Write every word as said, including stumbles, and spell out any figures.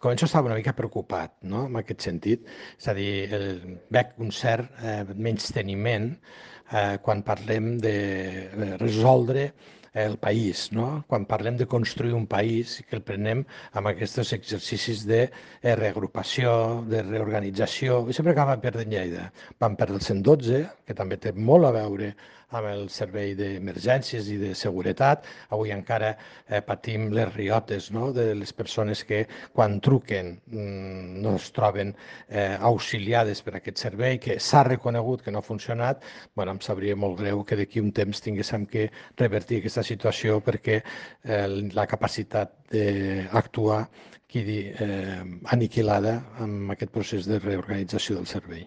començo a estar una mica preocupat, no?, en aquest sentit. És a dir, el, veig un cert eh, menysteniment eh, quan parlem de resoldre el país, no? Quan parlem de construir un país, que el prenem amb aquests exercicis de eh, reagrupació, de reorganització, i sempre acaba perdent Lleida. Vam perdre el cent i dotze, que també té molt a veure amb el servei d'emergències i de seguretat. Avui encara eh, patim les riotes, no?, de les persones que quan truquen mmm, no es troben eh, auxiliades per aquest servei, que s'ha reconegut que no ha funcionat. Bueno, em sabria molt greu que d'aquí un temps tinguéssim que revertir aquesta situació perquè eh, la capacitat d'actuar quedi eh, aniquilada amb aquest procés de reorganització del servei.